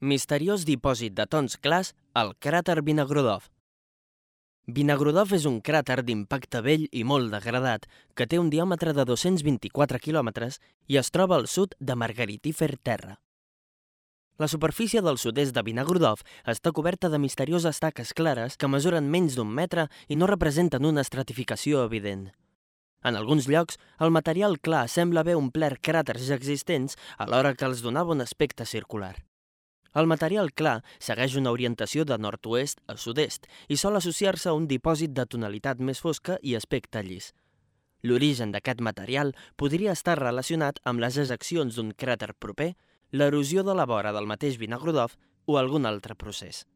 Misteriós dipòsit de tons clars al cràter Vinogradov. Vinogradov és un cràter d'impacte vell i molt degradat que té un diàmetre de 224 quilòmetres i es troba al sud de Margaritífer Terra. La superfície del sud-est de Vinogradov està coberta de misterioses taques clares que mesuren menys d'un metre i no representen una estratificació evident. En alguns llocs, el material clar sembla haver omplert cràters ja existents alhora que els donava un aspecte circular. El material clar segueix una orientació de nord-oest a sud-est i sol associar-se a un dipòsit de tonalitat més fosca i aspecte llis. L'origen d'aquest material podria estar relacionat amb les ejeccions d'un cràter proper, l'erosió de la vora del mateix Vinogradov o algun altre procés.